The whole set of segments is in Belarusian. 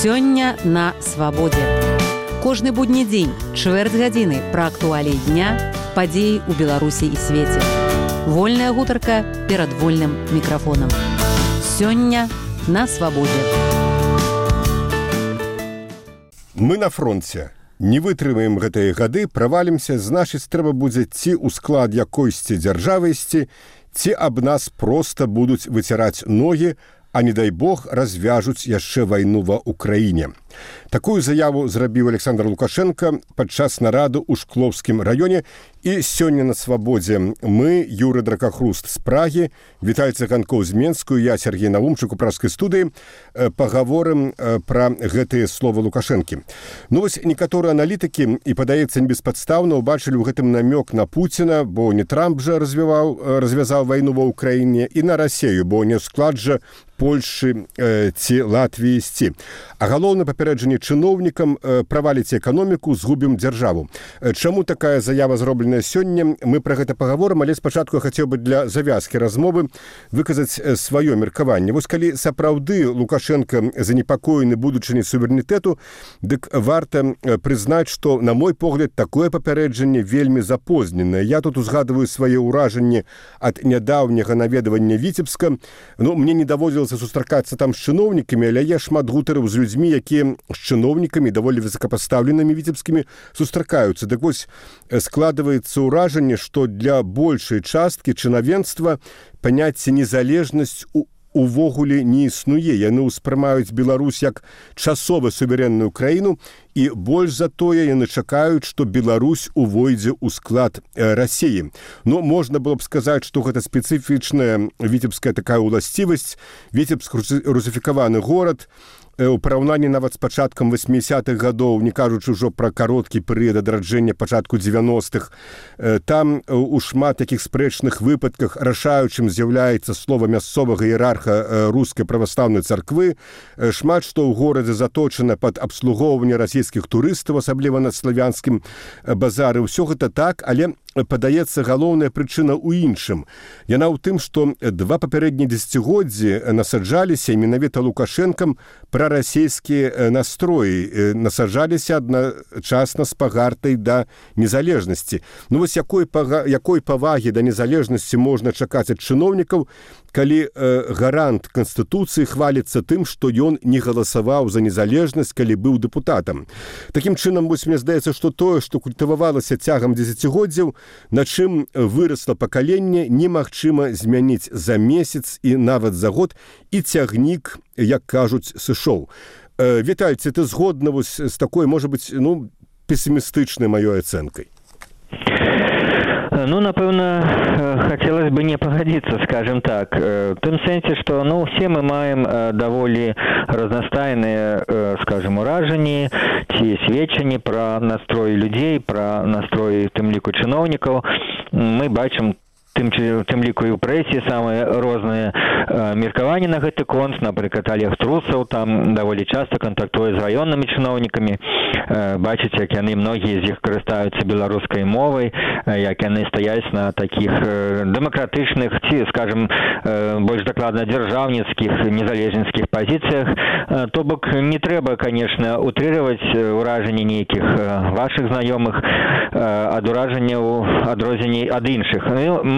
Сёння на свабодзе. Кожны будні дзень, чвэрць гадзіны пра актуаліі дня, падзеі ў Беларусі і свеце. Вольная гутарка перад вольным мікрафонам. Сёння на свабодзе. Мы на фронце. Не вытрымаем гэтыя гады, правалімся, значыць, трэба будзе ці ў склад якойсьці дзяржавы ісці, ці аб нас проста будуць выціраць ногі, а не дай Бог развяжуць яшчэ вайну ва Украіне. Такую заяву зрабіў Александр Лукашенко падчас нарады ў Шклоўскім раёне. І сёння на свабодзе мы, Юры Дракахруст з Прагі, Віталь Цыганкоў з Менску, я, Сергей Наумчык у пражскай студыі, пагаворым пра гэтыя словы Лукашэнкі. Ну вось некаторыя аналітыкі, і падаецца небеспадстаўна, убачылі ў гэтым намёк на Пуціна, бо не Трамп жа развязаў вайну ва Ўкраіне, і на Расею, бо не склад жа Польшы ці Латвіі ісці. А галоўнае папярэджанне чыноўнікам: праваліце эканоміку, згубім дзяржаву. Чаму такая заява зробленая сёння? Мы пра гэта пагаворым, але спачатку я хацеў бы для завязкі размовы выказаць сваё меркаванне. Вось калі сапраўды Лукашенко занепакоены будучыняй суверэнітэту, дык варта прызнаць, што, на мой погляд, такое папярэджанне вельмі запозненае. Я тут узгадываю свае ўражанні ад нядаўняга наведвання Віцебска. Ну, мне не даводзілася сустракацца там з чыноўнікамі, але я шмат гутарыў з людзьмі, якія з чыноўнікамі, даволі высокапастаўленымі віцебскімі, сустракаюцца. Дык вось складваецца ўражанне, што для большай часткі чынавенства паняцце незалежнасць увогуле не існуе. Яны ўспрымаюць Беларусь як часова суверэнную краіну, і больш за тое яны чакаюць, што Беларусь увойдзе ў склад Расеі. Ну, можна было б сказаць, што гэта спецыфічная віцебская такая ўласцівасць. Віцебск русіфікаваны горад, у параўнанні нават з пачаткам 80-х гадоў, не кажучы ўжо пра кароткі перыяд адраджэння пачатку 90-х, там у шмат такіх спрэчных выпадках рашаючым з'яўляецца слова мясцовага іерарха рускай праваслаўнай царквы. Шмат што ў горадзе заточана пад абслугоўванне расійскіх турыстаў, асабліва на славянскім базары. Усё гэта так, але падаецца, галоўная прычына ў іншым. Яна ў тым, што два папярэднія дзесяцігоддзі насаджаліся менавіта Лукашэнкам прарасійскія настроі, насаджаліся адначасна з пагартай да незалежнасці. Ну вось якой павагі да незалежнасці можна чакаць ад чыноўнікаў, калі гарант Канстытуцыі хваліцца тым, што ён не галасаваў за незалежнасць, калі быў дэпутатам. Такім чынам, вось мне здаецца, што тое, што культывавалася цягам дзесяцігоддзяў, на чым вырасла пакаленне, немагчыма змяніць за месяц і нават за год, і цягнік, як кажуць, сышоў. Віталь, ці ты згодна вось з такой, можа быць, песімістычнай маёй ацэнкай? Ну, напэўна, хацелось бы не пагадзіцца, скажем так. В тым сэнсе, што, все мы маем даволі разнастайныя, скажем, уражанні ці сведчанні пра настроі людзей, пра настроі, тым ліку, чыноўнікаў. Мы бачым тым ліку і ў прэсе самыя розныя меркаванні на гэты конт. Напрыклад, Олег Трусаў там даволі часта кантактуе з раённымі чыноўнікамі. Бачыць, як яны, многія з іх карыстаюцца беларускай мовай, як яны стаяць на такіх дэмакратычных ці, скажем, больш дакладна дзяржаўніцкіх, незалежніцкіх пазіцыях. То бок не трэба, конечно, утрыраваць уражанні нейкіх вашых знаёмых ад уражанняў, адрозненняў ад іншых.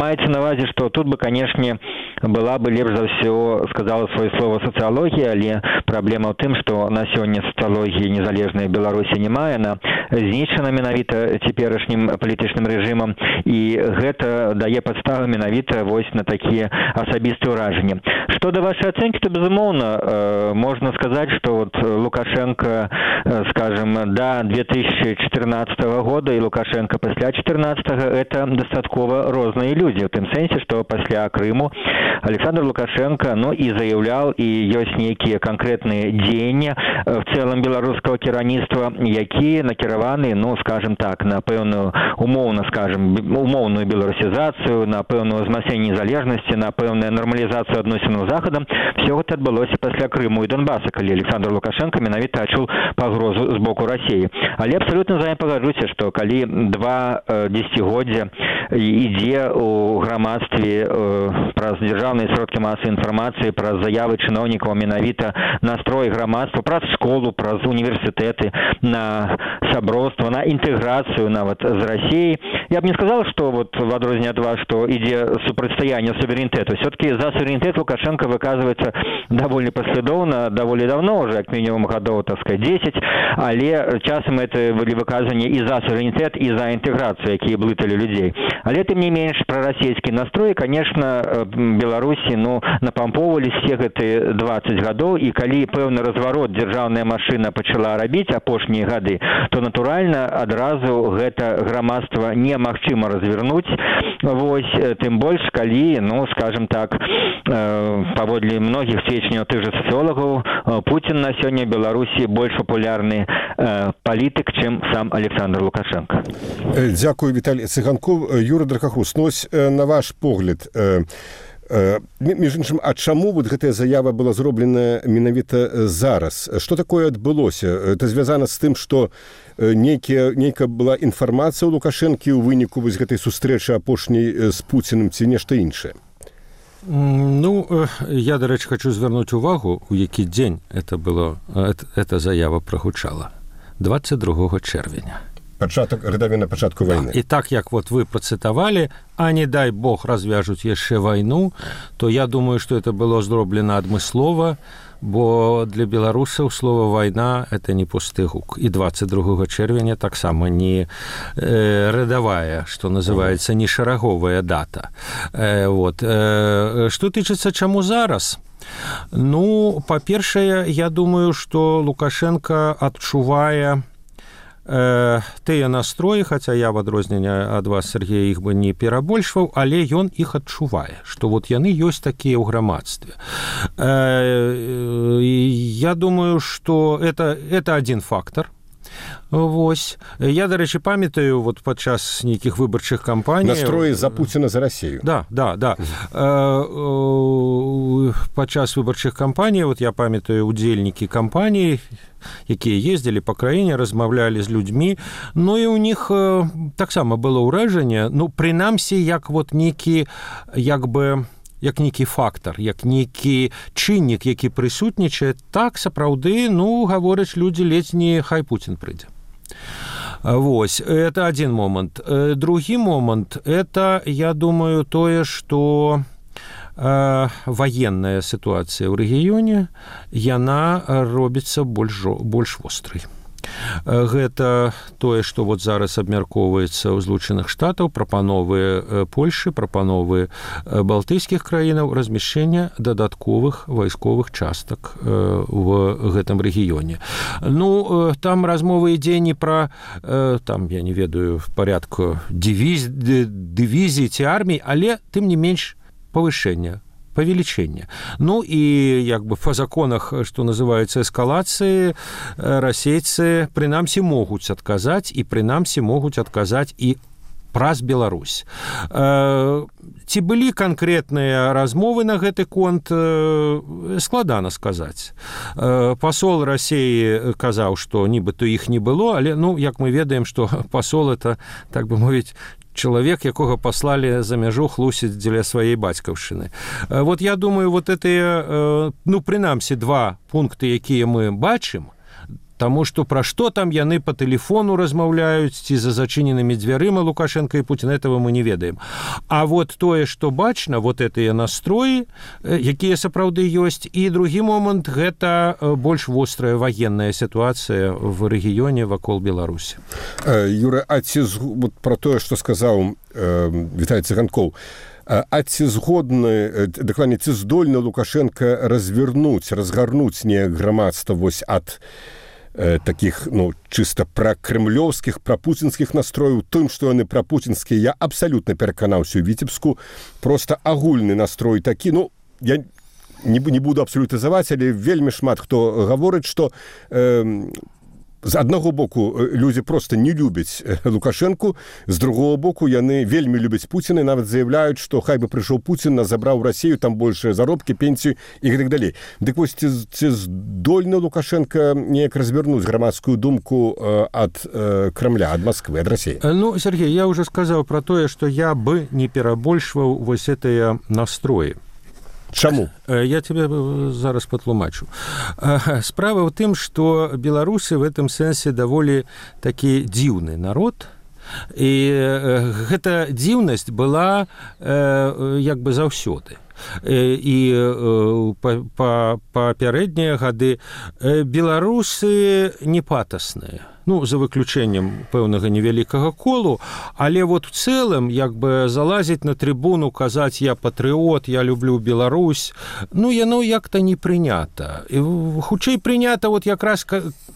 Маецца на ўвазе, што тут бы, канешне, была бы лепш за ўсё сказала сваё слова сацыялогія, але праблема ў тым, што на сёння сацыялогіі незалежнай Беларусі няма, яна знішчана менавіта цяперашнім палітычным рэжымам, і гэта дае падставы менавіта вось на такія асабістыя ўражанні. Што да вашай ацэнкі, то, безумоўна, можна сказаць, што вот Лукашенко, скажем, да 2014 года і Лукашенко пасля 2014-го это дастаткова розныя людзі. В тым сэнсе, што пасля Крыму Александр Лукашенко, і заяўляў, і ёсць нейкія канкрэтныя дзеянні в цэлым беларускага кіраўніцтва, якія накіраваны, скажем так, на пэўную умоўную беларусізацыю, на пэўную ўзмацненне незалежнасці, на пэўную нармалізацыю адносінаў з Захадам. Все гэта адбылося пасля Крыму і Донбаса, калі Александр Лукашенко менавіта адчуў пагрозу з боку Расіі. Але абсалютна з вамі пагаджуся, што калі два дзесяцігоддзя ідзе у грамадстве праз дзяржаўныя сродкі масавай інфармацыі, праз заявы чыноўнікаў менавіта настрой грамадства, праз школу, праз універсітэты на сяброўства, на інтэграцыю нават з Расіяй. Я б не сказал, что вот в адрозненне ад вас, что ідзе супрацьстаянне суверэнітэту. Все-таки за суверэнітэт Лукашенко выказывается довольно последовно, довольно давно, уже как минимум годов, так сказать, 10, але часам это были выказывания и за суверэнітэт, и за интеграцию, якія блытали людей. Але тым не менш, прарасійскі настрой, конечно, Беларусі, напампоўвались все гэты 20 годов, и калі пэўны разварот дзяржаўная машина пачала рабіць апошнія гады, то натуральна адразу гэта грамадства немагчыма развернуть. Вось, тым больш, калі, скажем так, паводле многіх сведчанняў тых же социологов, Путин на сёння Беларусі больш популярны палітык, чым сам Александр Лукашенко. Дзякую, Віталій Цыганков. Юра Дракахус, на ваш погляд, між іншым, а чаму вот гэтая заява была зроблена менавіта зараз? Што такое адбылося? Это звязана з тым, што нейкая была інфармацыя ў Лукашэнкі ў выніку вось гэтай сустрэчы апошняй з Пуціным ці нешта іншае? Я, до речі, хочу звернути увагу, у який день эта заява прогучала. 22 червня. Рядовина початку войны. И так, як вот вы процитовали, а не дай Бог развяжут еще войну, то я думаю, что это было зроблено адмыслова, бо для беларусаў слово «война» — это не пусты гук. И 22 червня так само не рядовая, что называется, не шараговая дата. Что тычыцца чаму зараз? Па-першае, я думаю, что Лукашенко адчувае тыя настроі, хаця я в адрозненне ад вас, Сергей, іх бы не перабольшваў, але ён іх адчувае, што вот яны ёсць такія ў грамадстве. Я думаю, что это один фактор. Вось. Я, до речі, памятаю, вот падчас нейкіх выбарчых кампаній... Настроі за Пуціна, за Расію. Да. Падчас выбарчых кампаній, вот я памятаю, удзельнікі кампаній, якія ездзілі па краіне, размаўлялі з людзьмі, і у них таксама было ўражанне, прынамсі, як вот нейкі, як нейкі фактор, як нейкі чыннік, які прысутнічае, так сапраўды, гавораць людзі, ледзь не хай Путін прыйдзе. Вось, это один момент. Другі момент, это, я думаю, тое, што военная ситуация ў рэгіёне, яна робіцца больш вострай. Гэта тое, што вот зараз абмяркоўваецца ў Злучаных Штатаў, прапановы Польшы, прапановы балтыйскіх краінаў размяшчэння дадатковых вайсковых частак в гэтым рэгіёне. Там размова ідзе не пра, там, я не ведаю, в парядку дывізій ці армій, але, тым не менш, павышэння, павелічэння. І па законах, што называюцца эскалацыі, расейцы прынамсі могуць адказаць, і прынамсі могуць адказаць і праз Беларусь. Ці былі канкрэтныя размовы на гэты конт, складана сказаць. Пасол Расіі казаў, што нібыта іх не было, але, як мы ведаем, што пасол — это, так бы мовіць, чалавек, якога паслалі за мяжу хлусіць дзеля сваей бацькаўшчыны. Вот я думаю, вот гэтыя, прынамсі, два пункты, якія мы бачым, таму што пра што там яны па тэлефону размаўляюць, ці за зачыненымі дзвярыма Лукашенко і Путін, этого мы не ведаем. А вот тое, што бачна, вот гэтыя настроі, якія сапраўды ёсць, і другі момант — гэта больш вострая военная сітуацыя в рэгіёне вакол Беларусі. Юра, вот пра тое, што сказаў Віталій Цыганкоў, а ці згодны, дакладней, ці здольны Лукашенко разгарнуць неяк грамадства вось ад таких, чыста пракрэмлёўскіх, прапуцінскіх настрояў, тым, што яны прапуцінскія, я абсалютна пераканаўся ў Віцебску, проста агульны настрой такі, я не буду абсалютызаваць, але вельмі шмат хто гаворыць, што з аднаго боку людзі просто не любяць Лукашэнку, з другого боку яны вельмі любяць Пуціна і нават заявляюць, што хай бы прыйшоў Пуцін, нас забраў Расію, там большыя заробкі, пенсію і гэтак далей. Дык вось ці здольны Лукашенко неяк развернуць грамадскую думку ад Кремля, ад Москвы, ад России? Ну, Сергей, я уже сказал про то, что я бы не перабольшваў вось гэтыя настроі. Чаму? Я тебе зараз патлумачу. Справа ў тым, што беларусы в этом сэнсе даволі такі дзіўны народ, і гэта дзіўнасць была як бы заўсёды. І папярэднія гады беларусы не патасныя, ну, за выключэннем пэўнага невялікага колу, але вот в цэлым як бы залазіць на трыбуну, казаць я патрыот, я люблю Беларусь, ну, яно як-то не прынята. Хутчэй прынята вот якраз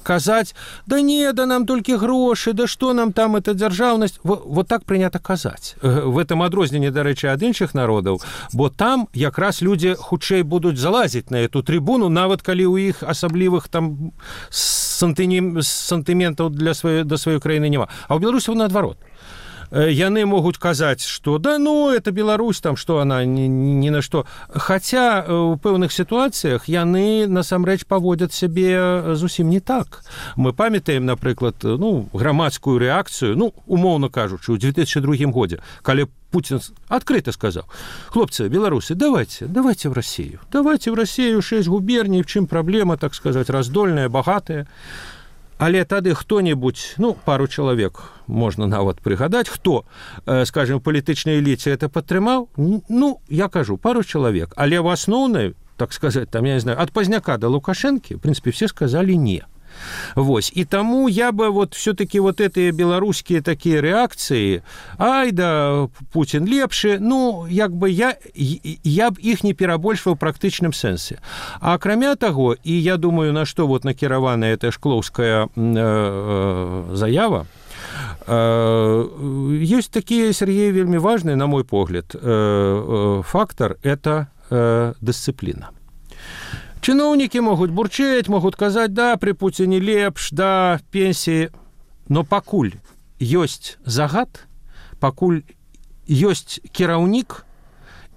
казаць, да не, да нам толькі грошы, да што нам там эта дзяржаўнасць, вот так прынята казаць. В этом адрозненне, дарэчы, ад іншых народаў, бо там якраз людзі хутчэй будуць залазіць на эту трыбуну, нават калі ў іх асаблівых там сантыментаў да сваёй краіны няма. А ў беларусаў наадварот. Яны могуць казаць, што да ну, это Беларусь, там, што она ні на што. Хаця ў пэўных сітуацыях яны насамрэч паводзяць сябе зусім не так. Мы памятаем, напрыклад, ну, грамадскую рэакцыю, ну, умоўна кажучы, ў 2002 годзе, калі Путин открыто сказал: хлопцы, белорусы, давайте в Россию. Давайте в Россию, 6 губерний, в чым проблема, так сказать, раздольная, богатая. Але тады хто-небудзь, ну, пару чалавек можна нават прыгадаць, хто, скажем, палітычнай эліце это падтрымаў, ну, я кажу, пару чалавек. Але в асноўнай, так сказать, там, я не знаю, ад Пазняка до Лукашэнкі, в принципе, все сказали не. Вось. І таму я бы вот все-таки вот эти беларускія такія рэакцыі, ай да, Путин лепшы, ну, як бы я б іх не перабольшваў у практычным сэнсе. А акрамя таго, і я думаю, на што вот накіраваная эта шклоўская заява, ёсць такія, Сергей, вельмі важны, на мой погляд, фактор – это дысцыпліна. Чыноўнікі могуць бурчэць, могуць казаць, да, пры Пуціне лепш, да, пенсіі, но пакуль ёсць загад, пакуль ёсць кіраўнік,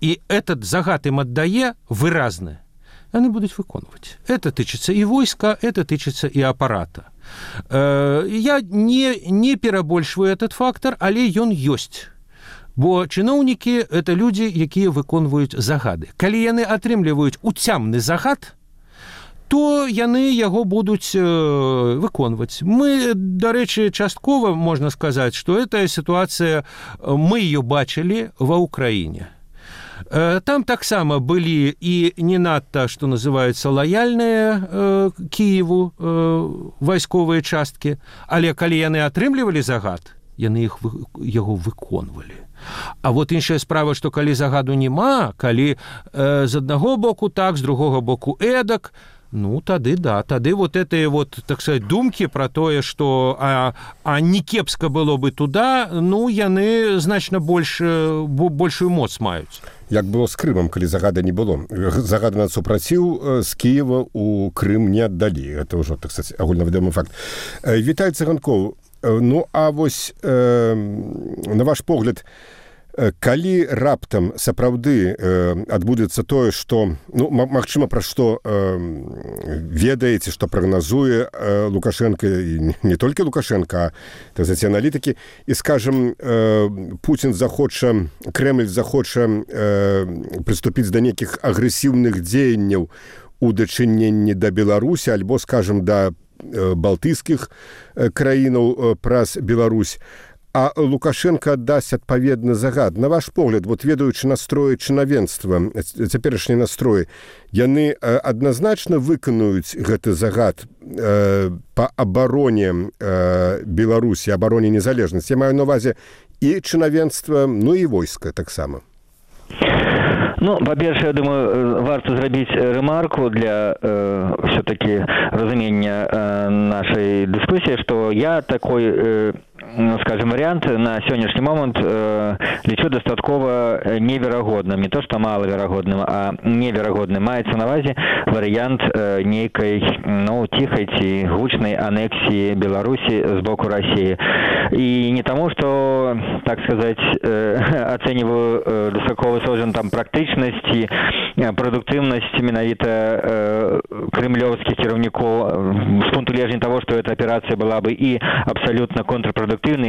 і этот загад ім аддае выразны, яны будуць выконваць. Это тычыцца і войска, это тычыцца і апарата. Я не перабольшваю этот фактор, але ён ёсць. Бо чыноўнікі – это людзі, якія выконваюць загады. Калі яны атрымліваюць уцямны загад, то яны яго будуць выконваць. Мы, дарэчы, часткова, можна сказаць, што гэтая сітуацыя, мы ее бачылі ва Ўкраіне. Там таксама былі і не надта, што называецца, лаяльныя Кіеву вайсковыя часткі, але калі яны атрымлівалі загад, яны яго выконвалі. А вот іншая справа, што калі загаду няма, калі з аднаго боку так, з другога боку эдак, ну, тады да, тады вот этыя вот, так сказать, думкі пра тое, што не кепска было бы туда, ну, яны значна большую моц маюць. Як было з Крымам, калі загада не было. Загада на супраціў з Кіева ў Крым не аддалі. Это ўжо, так сказать, агульнавядомы факт. Віталь Цыганкоў, ну, а вось, на ваш погляд, калі раптам сапраўды адбудзецца тое, што, ну, магчыма, пра што ведаеце, што прагназуе Лукашенко, і не толькі Лукашенко, а, так сказать, аналітыкі, і, скажем, Путін захоча, Крэмль захоча прыступіць да нейкіх агрэсіўных дзеянняў у дачыненні да Беларусі, альбо, скажем, да балтыйскіх краінаў праз Беларусь, а Лукашенко аддасць адпаведны загад. На ваш погляд, вот ведаючы настроі чынавенства, цяперашнія настроі, яны адназначна выканаюць гэты загад па абароне Беларусі, абароне незалежнасці. Я маю на ўвазе і чынавенства, ну і войска таксама. Ну, па-першае, я думаю, варта зрабіць рэмарку для все-таки разумення нашай дыскусіі, што я такой, скажем, скажем, вариант на сённяшні момент лічу дастаткова неверагодным, не то што малаверагодным, а неверагодным. Маецца на ўвазе варыянт нейкай, ну, ціхай ці гучнай анексіі Беларусі з боку России. И не тому, что, так сказать, оцениваю высоковысокую там практичность и продуктивность менавіта кремлевских кіраўнікоў с пункту гледжання того, что эта операция была бы и абсолютно контрпродуктивной,